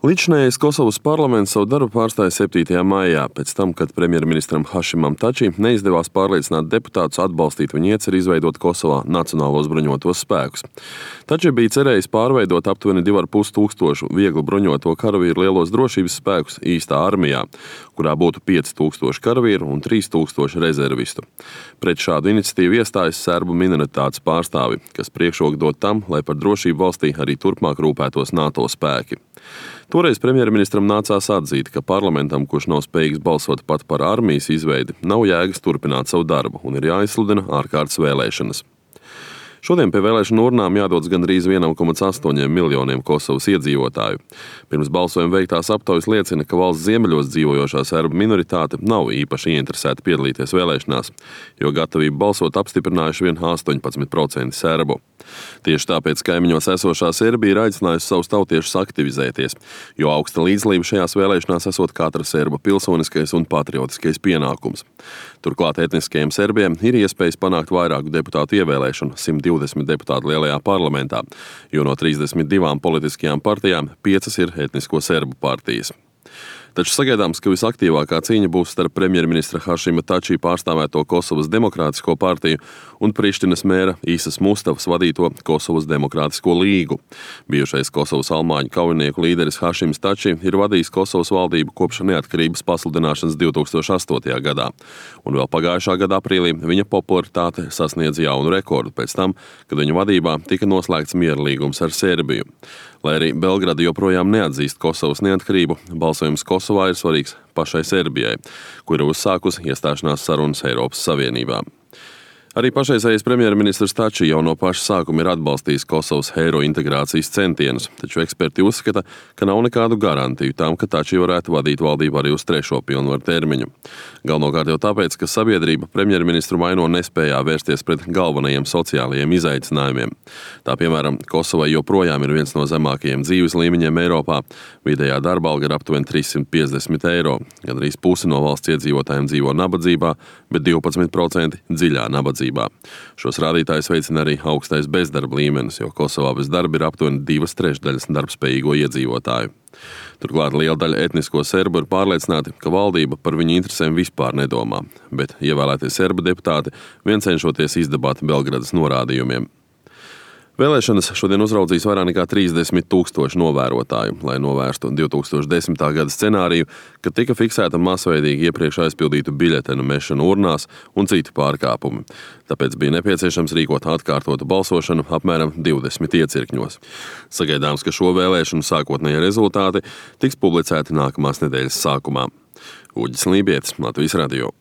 Līdzinājais Kosovas parlaments savu darbu pārstāja 7. maijā, pēc tam, kad premjerministram Hašimam Tači neizdevās pārliecināt deputātus atbalstīt viņa ieceri izveidot Kosovā Nacionālos bruņotos spēkus. Tači bija cerējis pārveidot aptuveni 2,5 tūkstošu viegli bruņoto karavīru lielos drošības spēkus īstā armijā, kurā būtu 5,000 karavīru un 3,000 rezervistu. Pret šādu iniciatīvu iestājas serbu minoritātes pārstāvi, kas priekšroku dod tam, lai par drošību valstī arī turpmāk rūpētos NATO spēki. Toreiz premjerministram nācās atzīt, ka parlamentam, kurš nav spējīgs balsot pat par armijas izveidi, nav jēgas turpināt savu darbu un ir jāizsludina ārkārtas vēlēšanas. Šodien pie vēlēšanu urnām jādodas gandrīz 1,8 miljoniem Kosovas iedzīvotāju. Pirms balsojuma veiktās aptaujas liecina, ka valsts ziemeļos dzīvojošā serbu minoritāte nav īpaši ieinteresēta piedalīties vēlēšanās, jo gatavību balsot apstiprinājuši vien 18% serbu. Tieši tāpēc kaimiņos esošā Serbija ir aicinājusi savus tautiešus aktivizēties, jo augsta līdzdalība šajās vēlēšanās esot katra serba pilsoniskais un patriotiskais pienākums. Turklāt etniskajiem serbiem ir iespējas panākt vairāku deputātu ievēlēšanu, 120 deputātu lielajā parlamentā, jo no 32 politiskajām partijām 5 ir etnisko serbu partijas. Taču sagaidāms, ka visaktīvākā cīņa būs starp premjerministra Hašima Tači pārstāvēto Kosovas Demokrātisko partiju un Prištinas mēra Īsas Mustavas vadīto Kosovas Demokrātisko līgu. Bijušais Kosovas almāņu kaujinieku līderis Hašims Tači ir vadījis Kosovas valdību kopš neatkarības pasludināšanas 2008. gadā, un vēl pagājušā gada aprīlī viņa popularitāte sasniedz jaunu rekordu pēc tam, kad viņa vadībā tika noslēgts miera līgums ar Serbiju. Lai arī Belgrada joprojām neatzīst Kosovas neatkarību, balsojums Kosovā ir svarīgs pašai Serbijai, kur ir uzsākusi iestāšanās sarunas Eiropas Savienībā. Arī pašreizējais premjerministrs Tači jau no paša sākuma ir atbalstījis Kosovas eiro integrācijas centienus, taču eksperti uzskata, ka nav nekādu garantiju tam, ka Tači varētu vadīt valdību arī uz 3. pilnvaru termiņu. Galvenokārt jau tāpēc, ka sabiedrība premjerministru maino nespējā vērsties pret galvenajiem sociālajiem izaicinājumiem. Tā piemēram, Kosovai joprojām ir viens no zemākajiem dzīves līmeņiem Eiropā. Vidējā darba alga ir aptuveni 350 eiro. Gandrīz pusi no valsts iedzīvotājiem dzīvo nabadzībā, bet 12% dziļā nabadzībā. Šos rādītājus veicina arī augstais bezdarba līmenis, jo Kosovā bez darba ir aptuveni 2/3 darbspējīgo iedzīvotāju. Turklāt liela daļa etnisko serbu ir pārliecināti, ka valdība par viņu interesēm vispār nedomā, bet ievēlētie serbu deputāti vien cenšoties izdabāt Belgradas norādījumiem. Vēlēšanas šodien uzraudzīs vairāk nekā 30,000 novērotāju, lai novērstu 2010. gada scenāriju, kad tika fiksēta masveidīgi iepriekš aizpildītu biļetenu mešanu urnās un citi pārkāpumi. Tāpēc bija nepieciešams rīkot atkārtotu balsošanu apmēram 20 iecirkņos. Sagaidāms, ka šo vēlēšanu sākotnējie rezultāti tiks publicēti nākamās nedēļas sākumā. Uģis Lībietis, Latvijas radio.